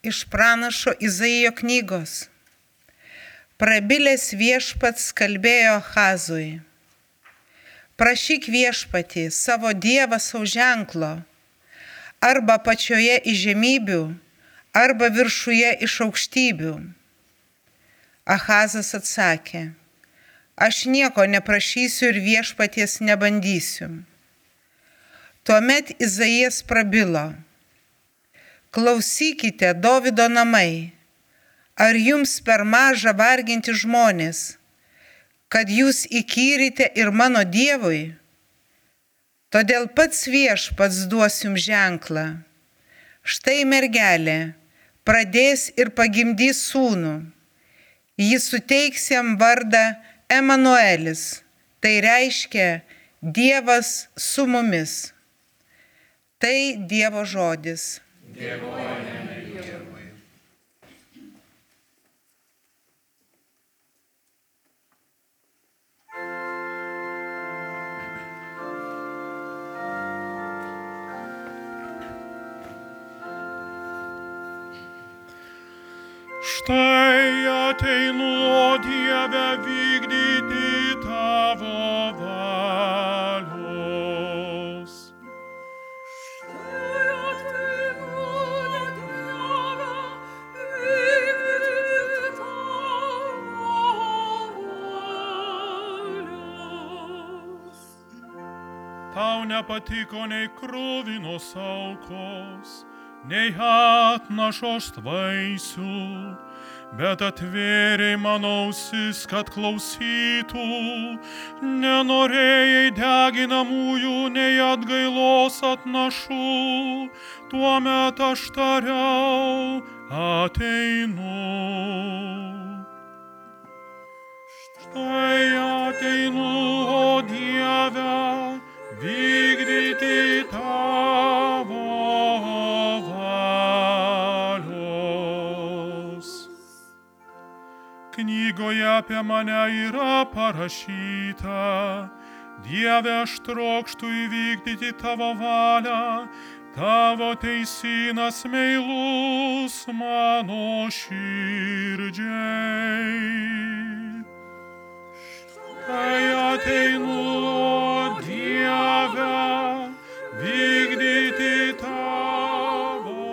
Iš pranašo Izaijo knygos. Prabilęs viešpats kalbėjo Ahazui. Prašyk viešpatį savo Dievą savo ženklo, arba pačioje iš žemybių, arba viršuje iš aukštybių. Ahazas atsakė, aš nieko neprašysiu ir viešpaties nebandysiu. Tuomet Izaijas prabilo. Klausykite, Dovydo namai, ar jums per maža varginti žmonės, kad jūs įkyrite ir mano Dievui? Todėl pats viešpats duos jums ženklą. Štai mergelė pradės ir pagimdys sūnų. Jis suteiks jam vardą Emanuelis, tai reiškia Dievas su mumis. Tai Dievo žodis. Dėkojame Dievui. Štai ateinu, o Dieve, vykdyti tavo valios. Štai ateinu, Dieve, vykdyti tavo valios. Tau nepatiko nei kruvinos aukos, nei atnašos vaisių, bet atvėrei mano ausis, kad klausytų, nenorėjai deginamųjų, nei atgailos atnašų, tuomet aš tariau, ateinu. Štai ateinu, o Dieve, vykdyti tavo valios. Knygoje apie mane yra parašyta, Dieve, aš trokštu įvykdyti tavo valią, tavo teisynas meilus mano širdžiai. Štai ateinu, o Dieve, vykdyti tavo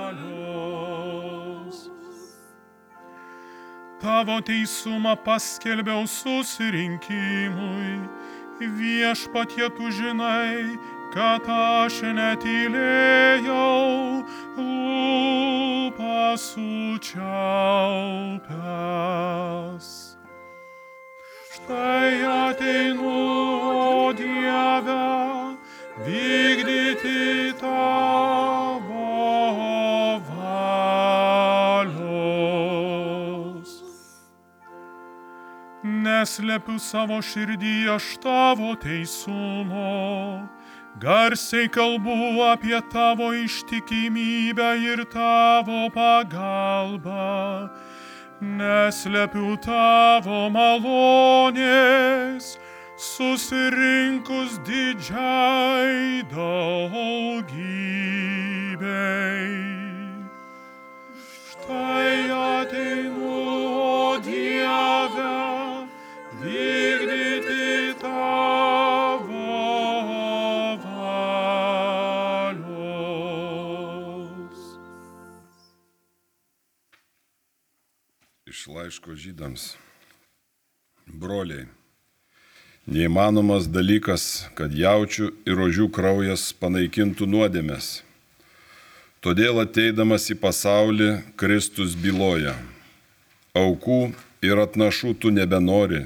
valios. Tavo teisumą paskelbiau susirinkimui, viešpatie tu žinai, kad aš netylėjau, lūpas sučiaupęs. Štai ateinu, o Dieve, vykdyti tavo valios. Neslepiu savo širdį aš tavo teisumo, garsiai kalbu apie tavo ištikimybę ir tavo pagalbą. Neslepiu tavo malonės, susirinkus didžiai daugybei. Štai ateinu, o Dieve, vykdyti tavo valios. Iš laiško Žydams. Broliai, neįmanomas dalykas, kad jaučių ir ožių kraujas panaikintų nuodėmes. Todėl ateidamas į pasaulį, Kristus byloja. Aukų ir atnašų tu nebenori,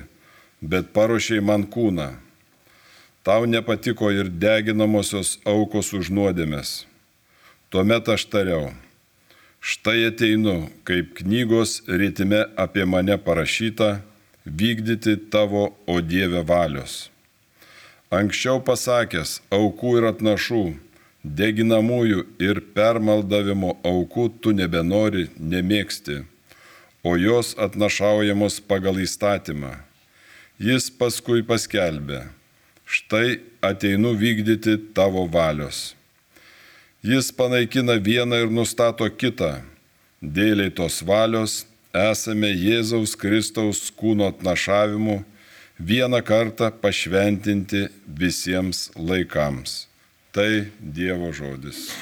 bet paruošei man kūną. Tau nepatiko ir deginamosios aukos už nuodėmes. Tuomet aš tariau, štai ateinu, kaip knygos ritime apie mane parašyta, vykdyti tavo, o Dieve, valios. Anksčiau pasakęs, aukų ir atnašų, deginamųjų ir permaldavimo aukų tu nebenori, nemėgsti, o jos atnašaujamos pagal įstatymą. Jis paskui paskelbė, štai ateinu vykdyti tavo valios. Jis panaikina vieną ir nustato kitą. Dėliai tos valios esame Jėzaus Kristaus kūno atnašavimu vieną kartą pašventinti visiems laikams. Tai Dievo žodis.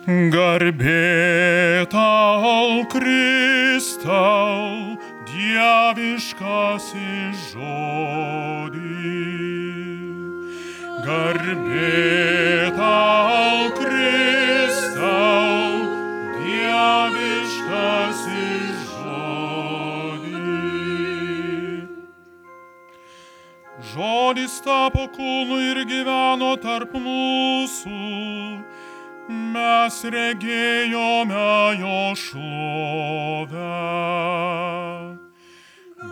Garbė tau, Kristau, dieviškasis žodį. Garbė tau, Kristau, dieviškasis žodį. Žodis tapo kūnu ir gyveno tarp mūsų. Mes regėjome jo šlovę.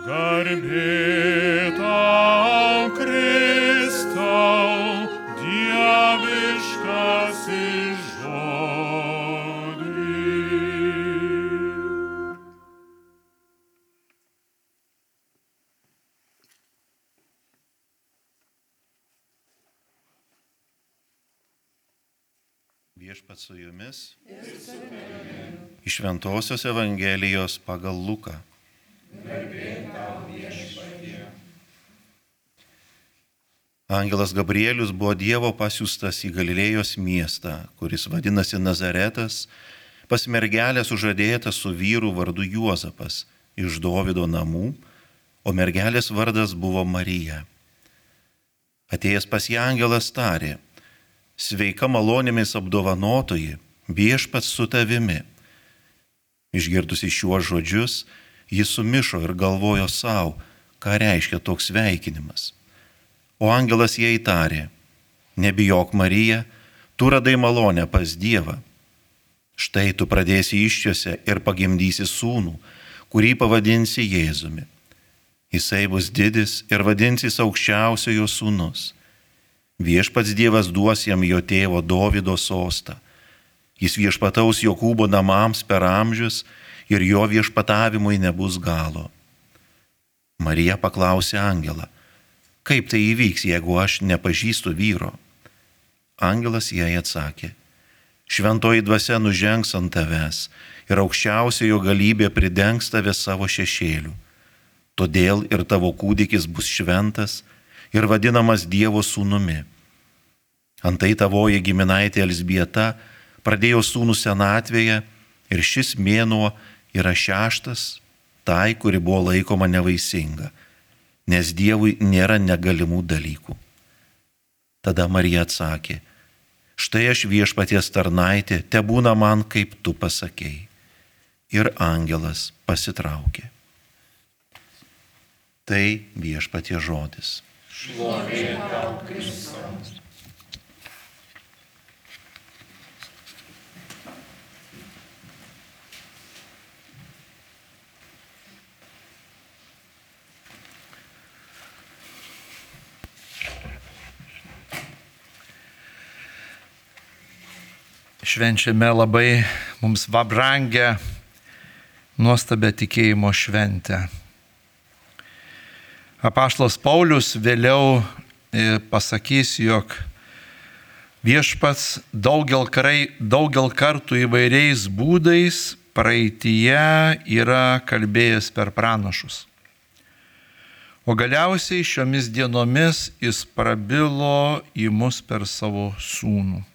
Garbė tau, Kristau, dieviškasis žodį. Viešpats su jumis. Iš Šventosios Evangelijos pagal Luką. Angelas Gabrielius buvo Dievo pasiųstas į Galilėjos miestą, kuris vadinasi Nazaretas, pas mergelę sužadėtą su vyru vardu Juozapas iš Dovydo namų, o mergelės vardas buvo Marija. Atėjęs pas ją angelas tarė: Sveika malonėmis apdovanotoji, viešpats su tavimi. Išgirdusi šiuos žodžius, jis sumišo ir galvojo savo, ką reiškia toks sveikinimas. O angelas jai tarė: Nebijok, Marija, tu radai malonę pas Dievą. Štai tu pradėsi iščiose ir pagimdysi sūnų, kurį pavadinsi Jėzumi. Jisai bus didis ir vadinsis aukščiausiojo sūnus. Viešpats Dievas duos jam jo tėvo Dovydo sostą. Jis viešpataus Jokūbo namams per amžius ir jo viešpatavimui nebus galo. Marija paklausė angelą: Kaip tai įvyks, jeigu aš nepažįstu vyro? Angelas jai atsakė: Šventoji dvasia nužengs ant tavęs ir aukščiausiojo galybė pridengs tave savo šešėliu. Todėl ir tavo kūdikis bus šventas ir vadinamas Dievo sūnumi. Antai tavoji giminaitė Elzbieta pradėjo sūnų senatvėje ir šis mėnuo yra 6 tai, kuri buvo laikoma nevaisinga, nes Dievui nėra negalimų dalykų. Tada Marija atsakė: Štai aš viešpaties tarnaitė, tebūna man, kaip tu pasakei. Ir angelas pasitraukė. Tai viešpaties žodis. Šlovė tau, Kristus. Švenčiame labai mums brangę, nuostabią tikėjimo šventę. Apaštalas Paulius vėliau pasakys, jog viešpats daugel kartų įvairiais būdais praeityje yra kalbėjęs per pranašus. O galiausiai šiomis dienomis jis prabilo į mus per savo sūnų.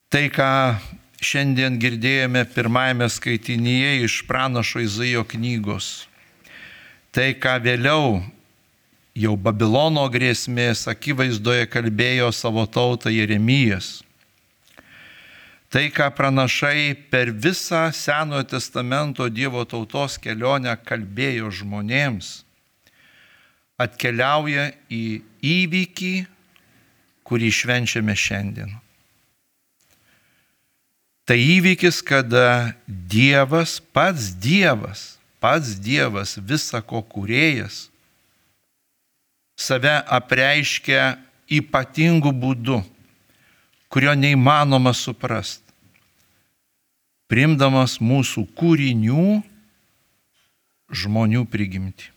Tai, ką šiandien girdėjome pirmajame skaitinyje iš pranašo Izaijo knygos, tai, ką vėliau jau Babilono grėsmės akivaizdoje kalbėjo savo tautą Jeremijas, tai, ką pranašai per visą Senojo testamento Dievo tautos kelionę kalbėjo žmonėms, atkeliauja į įvykį, kurį švenčiame šiandien. Tai įvykis, kada Dievas, pats Dievas, visako kūrėjas, save apreiškia ypatingu būdu, kurio neįmanoma suprasti. priimdamas mūsų kūrinių žmonių prigimtį.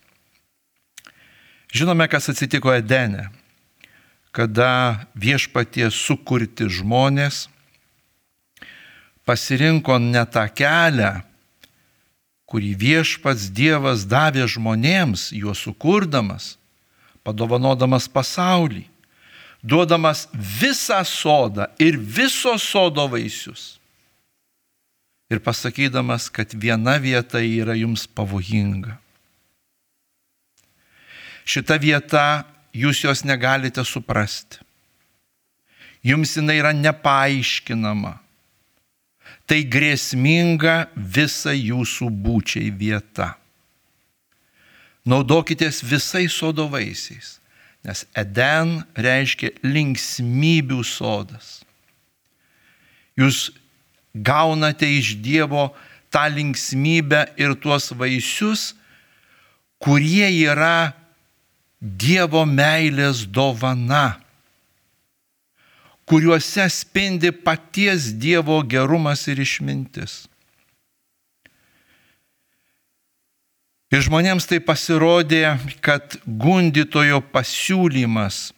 Žinome, kas atsitiko Edene, kada Viešpaties sukurti žmonės pasirinko ne tą kelią, kurį Viešpats Dievas davė žmonėms, juos sukurdamas, padovanodamas pasaulį, duodamas visą sodą ir viso sodo vaisius. Ir pasakydamas, kad viena vieta yra jums pavojinga. Šita vieta, jūs jos negalite suprasti. Jums jinai yra nepaaiškinama. Tai grėsminga visa jūsų būčiai vieta. Naudokitės visais sodo vaisiais, nes Eden reiškia linksmybių sodas. Jūs gaunate iš Dievo tą linksmybę ir tuos vaisius, kurie yra Dievo meilės dovana, kuriuose spindi paties Dievo gerumas ir išmintis. Ir žmonėms tai pasirodė, kad gundytojo pasiūlymas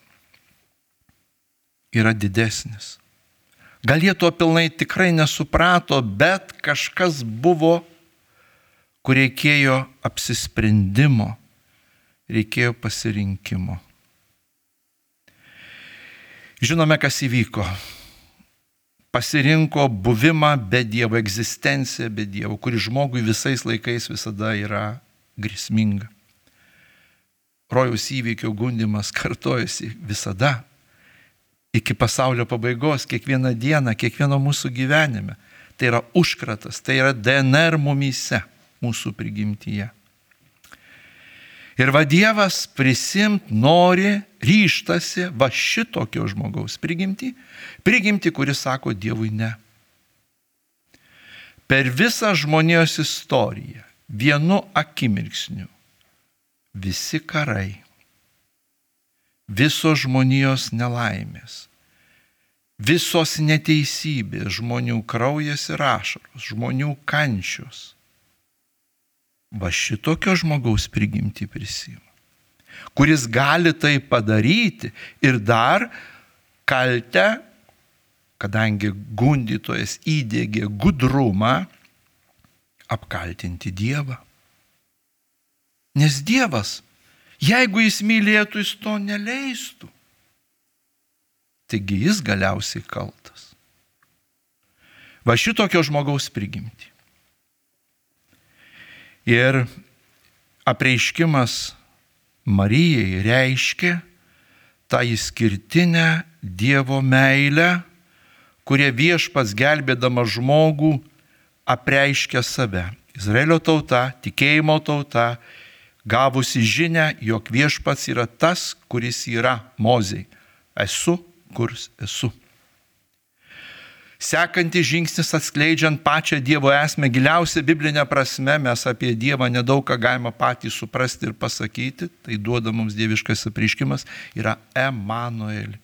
yra didesnis. Gal jie to pilnai tikrai nesuprato, bet kažkas buvo, kur reikėjo apsisprendimo, reikėjo pasirinkimo. Žinome, kas įvyko. Pasirinko buvimą be Dievo, egzistenciją be Dievo, kuri žmogui visais laikais visada yra grėsminga. Rojaus įvykio gundymas kartojasi visada. Iki pasaulio pabaigos, kiekvieną dieną, kiekvieno mūsų gyvenime. Tai yra užkratas, tai yra DNR mumyse, mūsų prigimtyje. Ir va Dievas prisimt nori, ryštasi va šitokio žmogaus prigimtį, kuris sako Dievui ne. Per visą žmonijos istoriją, vienu akimirksniu, visi karai, visos žmonijos nelaimės, visos neteisybės, žmonių kraujas ir ašaros, žmonių kančios, va šitokio žmogaus prigimtį prisima, kuris gali tai padaryti ir dar kaltę, kadangi gundytojas įdiegė gudrumą, apkaltinti Dievą. Nes Dievas, jeigu jis mylėtų, jis to neleistų. Taigi jis galiausiai kaltas. Va šitokio žmogaus prigimtį. Ir apreiškimas Marijai reiškia tą išskirtinę Dievo meilę, kurie Viešpats gelbėdama žmogų apreiškia save. Izraelio tauta, tikėjimo tauta, gavusi žinią, jog Viešpats yra tas, kuris yra Mozei. Esu, kurs esu. Sekantis žingsnis atskleidžiant pačią Dievo esmę, giliausia biblinė prasme, mes apie Dievą nedaug ką galima patys suprasti ir pasakyti, tai duoda mums dieviškas apreiškimas, yra Emanueli.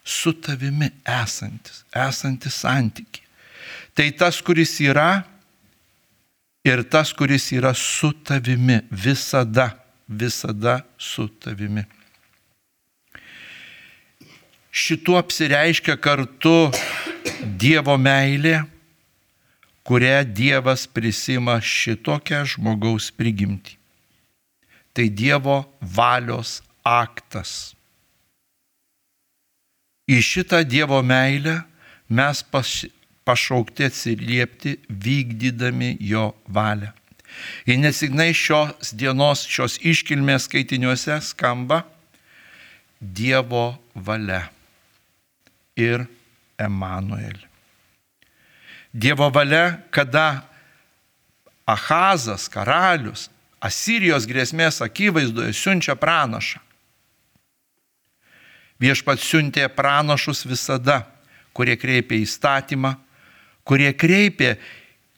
Su tavimi esantis santykiai. Tai tas, kuris yra ir tas, kuris yra su tavimi, visada su tavimi. Šituo apsireiškia kartu Dievo meilė, kurią Dievas prisima šitokią žmogaus prigimtį. Tai Dievo valios aktas. Į šitą Dievo meilę mes pašaukti atsiliepti, vykdydami jo valią. Ir nesigniai šios dienos, šios iškilmės skaitiniuose skamba Dievo valia ir Emanuelį. Dievo valia, kada Ahazas, karalius, Asirijos grėsmės akivaizdoje siunčia pranašą. Viešpats siuntė pranašus visada, kurie kreipė įstatymą, kurie kreipė,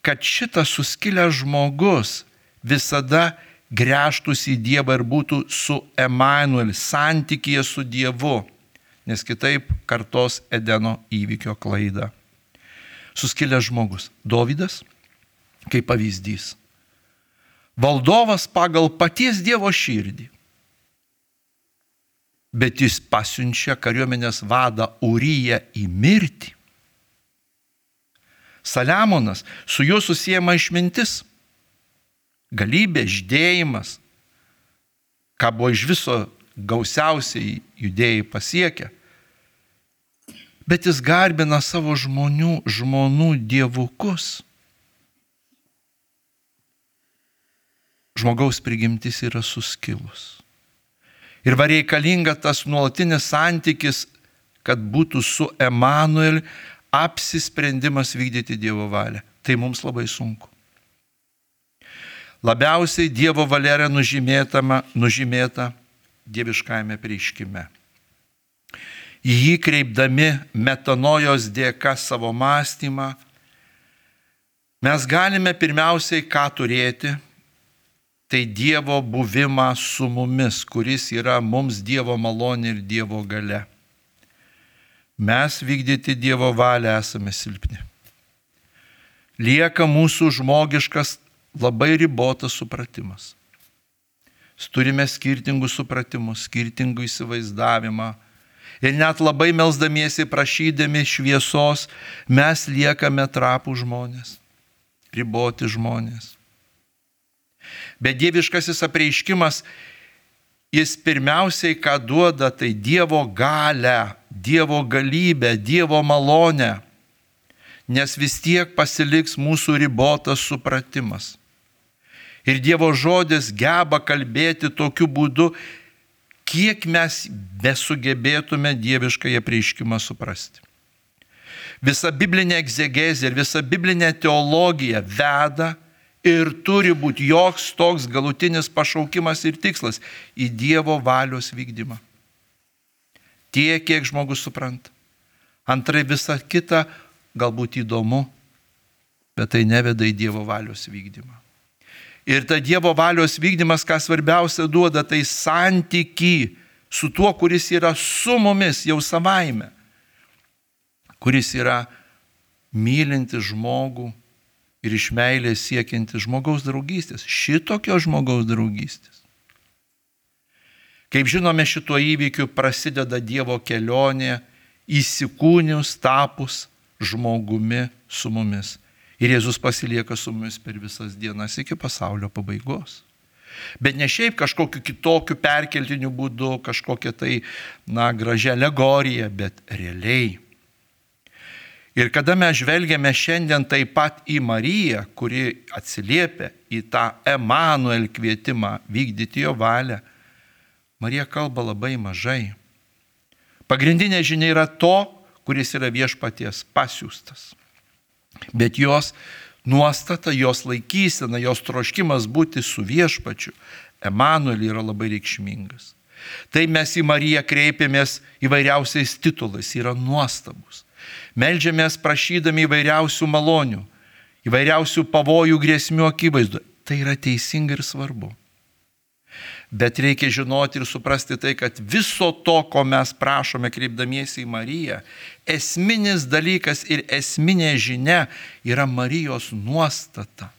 kad šitas suskilęs žmogus visada gręžtųsi į Dievą ir būtų su Emanueliu, santykyje su Dievu, nes kitaip kartos Edeno įvykio klaidą. suskilęs žmogus. Dovydas, kaip pavyzdys. Valdovas pagal paties Dievo širdį. Bet jis pasiunčia kariuomenės vadą Uriją į mirtį. Saliamonas, su juo susiejama išmintis, galybė, žydėjimas, ką buvo iš viso gausiausiai judėjai pasiekę. Bet jis garbina savo žmonų dievukus. Žmogaus prigimtis yra suskilus. Ir var reikalinga tas nuolatinis santykis, kad būtų su Emanueliu apsisprendimas vykdyti Dievo valią. Tai mums labai sunku. Labiausiai Dievo valia yra nužymėta dieviškajame apreiškime. Į jį kreipdami metanojos dėka savo mąstymą, mes galime pirmiausiai ką turėti, tai Dievo buvimą su mumis, kuris yra mums Dievo malonė ir Dievo galia. Mes vykdyti Dievo valią esame silpni. Lieka mūsų žmogiškas labai ribotas supratimas. Turime skirtingus supratimus, skirtingų įsivaizdavimą. Ir net labai melsdamiesi, prašydami šviesos, mes liekame trapų žmonės, riboti žmonės. Bet dieviškasis apreiškimas, jis pirmiausiai ką duoda, tai Dievo galę, Dievo galybę, Dievo malonę, nes vis tiek pasiliks mūsų ribotas supratimas. Ir Dievo žodis geba kalbėti tokiu būdu, kiek mes besugebėtume dieviškąją apreiškimą suprasti. Visa biblinė egzegezė ir visa biblinė teologija veda ir turi būti joks toks galutinis pašaukimas ir tikslas į Dievo valios vykdymą. Tiek, kiek žmogus supranta. Antrai, visa kita galbūt įdomu, bet tai neveda į Dievo valios vykdymą. Ir ta Dievo valios vykdymas, ką svarbiausia duoda, tai santykį su tuo, kuris yra su mumis jau savaime, kuris yra mylinti žmogų ir iš meilės siekianti žmogaus draugystės, šitokio žmogaus draugystės. Kaip žinome, šituo įvykiu prasideda Dievo kelionė įsikūnius, tapus žmogumi su mumis. Ir Jėzus pasilieka su mumis per visas dienas iki pasaulio pabaigos. Bet ne šiaip kažkokiu kitokiu perkeltiniu būdu, kažkokia tai, gražia alegorija, bet realiai. Ir kada mes žvelgiame šiandien taip pat į Mariją, kuri atsiliepia į tą Emanuel kvietimą vykdyti jo valią, Marija kalba labai mažai. Pagrindinė žinia yra to, kuris yra viešpaties pasiųstas. Bet jos nuostata, jos laikysena, jos troškimas būti su viešpačiu Emanueliu yra labai reikšmingas. Tai mes į Mariją kreipiamės įvairiausiais titulais, yra nuostabus. Meldžiamės prašydami įvairiausių malonių, įvairiausių pavojų, grėsmių akivaizdu. Tai yra teisinga ir svarbu. Bet reikia žinoti ir suprasti tai, kad viso to, ko mes prašome kreipdamiesi į Mariją, esminis dalykas ir esminė žinia yra Marijos nuostata.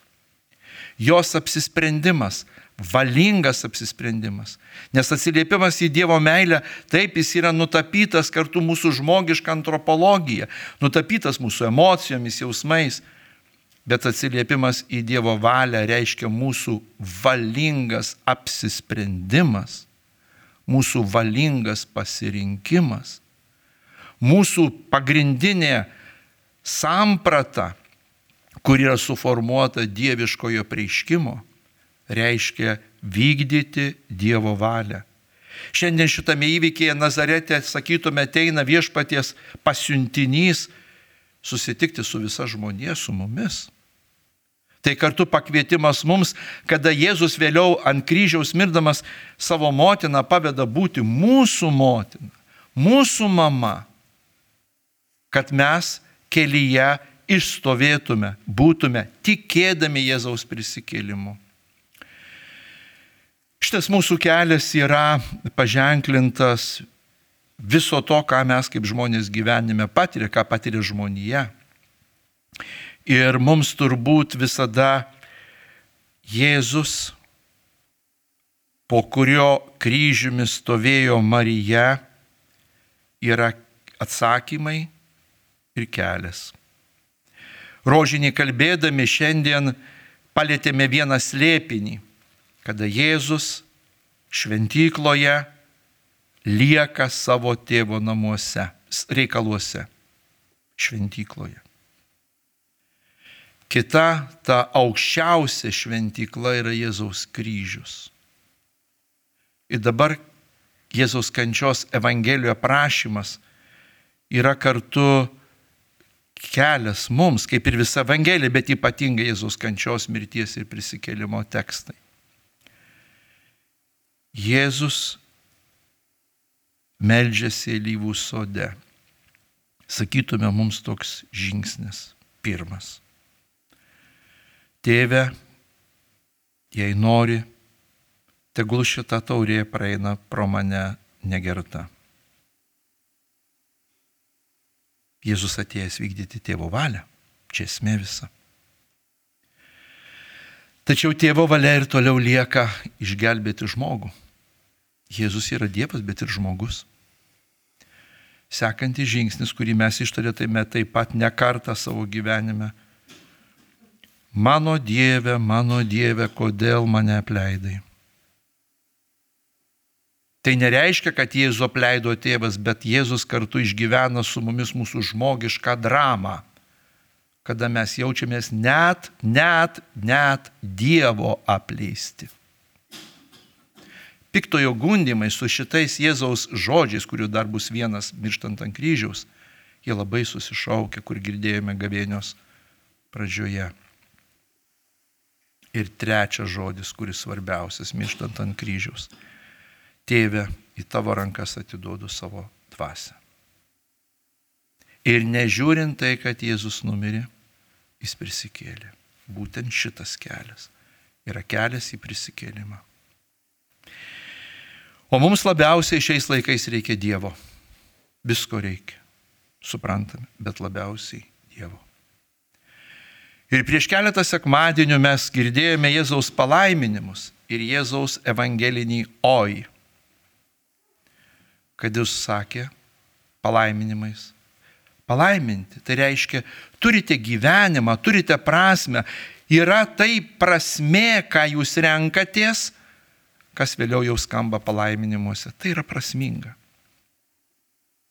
Jos apsisprendimas, valingas apsisprendimas. Nes atsiliepimas į Dievo meilę, taip jis yra nutapytas kartu mūsų žmogišką antropologiją, nutapytas mūsų emocijomis, jausmais. Bet atsiliepimas į Dievo valią reiškia mūsų valingas apsisprendimas, mūsų valingas pasirinkimas, mūsų pagrindinė samprata, kur yra suformuota dieviškojo apreiškimo, reiškia vykdyti Dievo valią. Šiandien šitame įvykyje Nazarete, sakytume, ateina viešpaties pasiuntinys susitikti su visa žmonija, su mumis. Tai kartu pakvietimas mums, kada Jėzus vėliau ant kryžiaus mirdamas savo motiną paveda būti mūsų motina, mūsų mama, kad mes kelyje išstovėtume, būtume tikėdami Jėzaus prisikėlimu. Šitas mūsų kelias yra paženklintas viso to, ką mes kaip žmonės gyvenime patiria, ką patiria žmonija. Ir mums turbūt visada Jėzus, po kurio kryžiumi stovėjo Marija, yra atsakymai ir kelias. Rožinį kalbėdami šiandien palėtėme vieną slėpinį, kada Jėzus šventykloje lieka savo tėvo namuose, reikaluose, šventykloje. Kita, ta aukščiausia šventykla yra Jėzaus kryžius. Ir dabar Jėzaus kančios Evangelijoje aprašymas yra kartu kelias mums, kaip ir visa Evangelija, bet ypatingai Jėzaus kančios, mirties ir prisikėlimo tekstai. Jėzus meldžiasi alyvų sode. Sakytume mums toks žingsnis pirmas. Tėve, jei nori, tegul šita taurė praeina pro mane negerta. Jėzus atėjęs vykdyti tėvo valią, čia esmė visa. Tačiau tėvo valia ir toliau lieka išgelbėti žmogų. Jėzus yra Dievas, bet ir žmogus. Sekantis žingsnis, kurį mes ištarėme taip pat ne kartą savo gyvenime. Mano Dieve, kodėl mane apleidai? Tai nereiškia, kad Jėzų apleido tėvas, bet Jėzus kartu išgyvena su mumis mūsų žmogišką dramą, kada mes jaučiamės net Dievo apleisti. Piktojo gundimai su šitais Jėzaus žodžiais, kurių dar bus vienas mirštant ant kryžiaus, jie labai susišaukia, kur girdėjome gavėnios pradžioje. Ir trečias žodis, kuris svarbiausias, mirštant ant kryžiaus. Tėve, į tavo rankas atiduodu savo dvasią. Ir nežiūrint tai, kad Jėzus numirė, jis prisikėlė. Būtent šitas kelias yra kelias į prisikėlimą. O mums labiausiai šiais laikais reikia Dievo. Visko reikia, suprantame, bet labiausiai Dievo. Ir prieš keletą sekmadienių mes girdėjome Jėzaus palaiminimus ir Jėzaus evangelinį oi. Kad jis sakė palaiminimais. Palaiminti, tai reiškia, turite gyvenimą, turite prasmę. Yra tai prasmė, ką jūs renkatės, kas vėliau jau skamba palaiminimuose. Tai yra prasminga.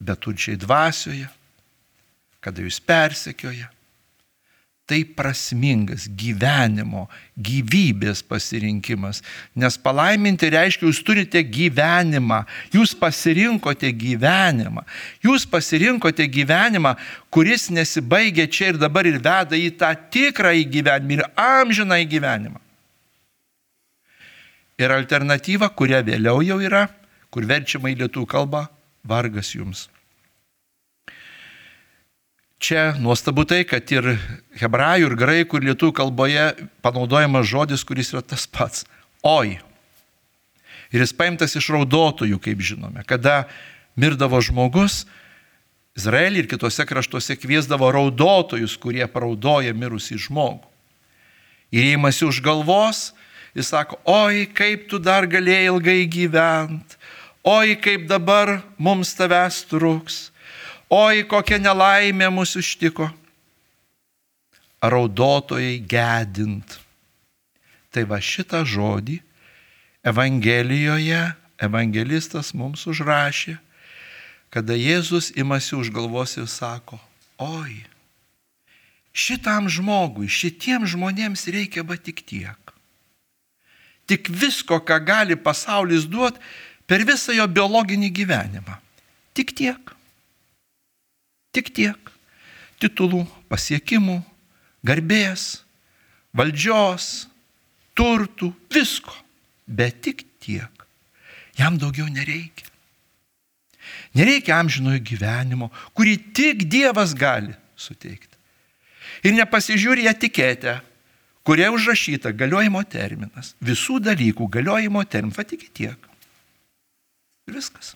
Beturčiai dvasioje, kada jūs persekioja. Tai prasmingas gyvenimo, gyvybės pasirinkimas. Nes palaiminti reiškia, jūs turite gyvenimą. Jūs pasirinkote gyvenimą. Jūs pasirinkote gyvenimą, kuris nesibaigia čia ir dabar ir veda į tą tikrąjį gyvenimą ir amžinąjį gyvenimą. Ir alternatyva, kuria vėliau jau yra, kur verčiama į lietuvių kalbą, vargas jums. Čia nuostabu tai, kad ir hebrajų, ir graikų, ir lietuvių kalboje panaudojamas žodis, kuris yra tas pats – oi. Ir jis paimtas iš raudotojų, kaip žinome. Kada mirdavo žmogus, Izraelį ir kitose kraštuose kviesdavo raudotojus, kurie paraudoja mirusį žmogų. Ir įimasi už galvos, jis sako, oi, kaip tu dar galėjai ilgai gyventi, oi, kaip dabar mums tavęs truks. Oi, kokia nelaimė mūsų ištiko. Raudotojai gedint. Tai va šitą žodį Evangelijoje evangelistas mums užrašė, kada Jėzus imasi už galvos ir sako, oi, šitam žmogui, šitiems žmonėms reikia va tik tiek. Tik visko, ką gali pasaulis duoti per visą jo biologinį gyvenimą. Tik tiek. Tik tiek. Titulų, pasiekimų, garbės, valdžios, turtų, visko. Bet tik tiek. Jam daugiau nereikia. Nereikia amžinojo gyvenimo, kurį tik Dievas gali suteikti. Ir nepasižiūri etiketę, kuria užrašyta galiojimo terminas. Visų dalykų galiojimo terminas. Va tik tiek. Ir viskas.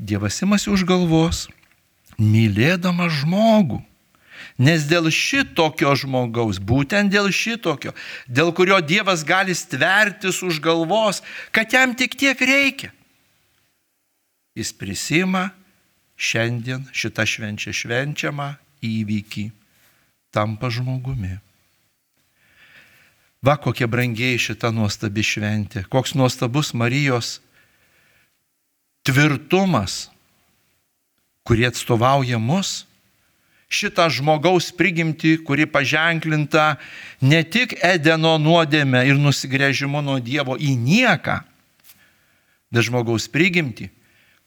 Dievas imasi už galvos, mylėdamas žmogų. Nes dėl šitokio žmogaus, būtent dėl šitokio, dėl kurio Dievas gali stvertis už galvos, kad jam tik tiek reikia, jis prisima šiandien šitą švenčiamą įvykį, tampa žmogumi. Va, kokia brangiai šita nuostabi šventė, koks nuostabus Marijos tvirtumas, kurie atstovauja mus, šitą žmogaus prigimtį, kuri paženklinta ne tik Edeno nuodėme ir nusigręžimu nuo Dievo į nieką, bet žmogaus prigimtį,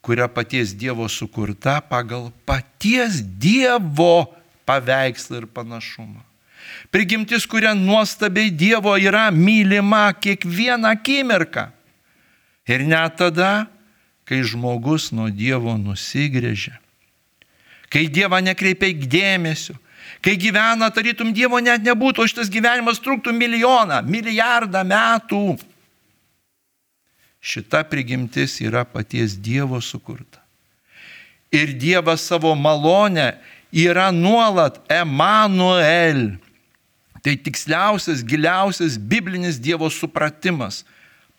kuria paties Dievo sukurta pagal paties Dievo paveikslą ir panašumą. Prigimtis, kuria nuostabiai Dievo yra mylima kiekvieną akimirką. Ir net tada, kai žmogus nuo Dievo nusigręžia, kai Dievą nekreipia dėmesio, kai gyvena, tarytum Dievo net nebūtų, o šitas gyvenimas truktų milijardą metų. Šita prigimtis yra paties Dievo sukurta. Ir Dievas savo malonę yra nuolat Emanuel. Tai tiksliausias, giliausias biblinis Dievo supratimas,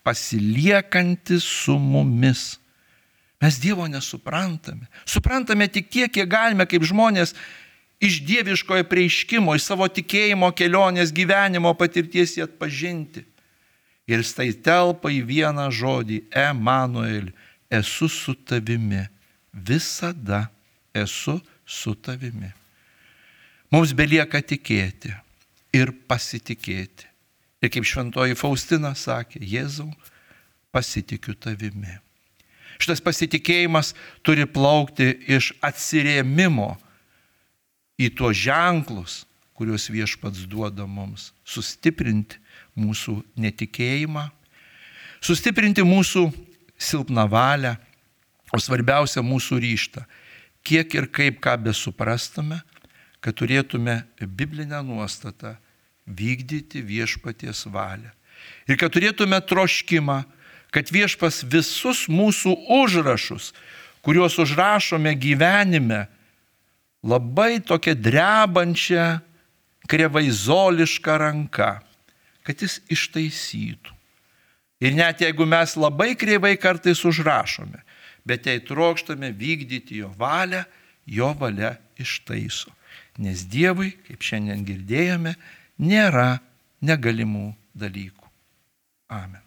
pasiliekantis su mumis. Mes Dievo nesuprantame. Suprantame tik tiek, kiek galime kaip žmonės iš dieviškojo prieiškimo, iš savo tikėjimo kelionės gyvenimo patirties jį atpažinti. Ir tai telpa į vieną žodį – Emanuel, esu su tavimi. Visada esu su tavimi. Mums belieka tikėti ir pasitikėti. Ir kaip šventoji Faustina sakė, Jėzau, pasitikiu tavimi. Šitas pasitikėjimas turi plaukti iš atsirėmimo į tuos ženklus, kuriuos Viešpats duoda mums, sustiprinti mūsų netikėjimą, sustiprinti mūsų silpną valią, o svarbiausia mūsų ryžtą, kiek ir kaip ką besuprastume, kad turėtume biblinę nuostatą vykdyti Viešpaties valią. Ir kad turėtume troškimą, kad Viešpas visus mūsų užrašus, kuriuos užrašome gyvenime, labai tokia drebančia, krevaizoliška ranka, kad jis ištaisytų. Ir net jeigu mes labai kreivai kartais užrašome, bet jei trokštame vykdyti jo valią, jo valia ištaiso. Nes Dievui, kaip šiandien girdėjome, nėra negalimų dalykų. Amen.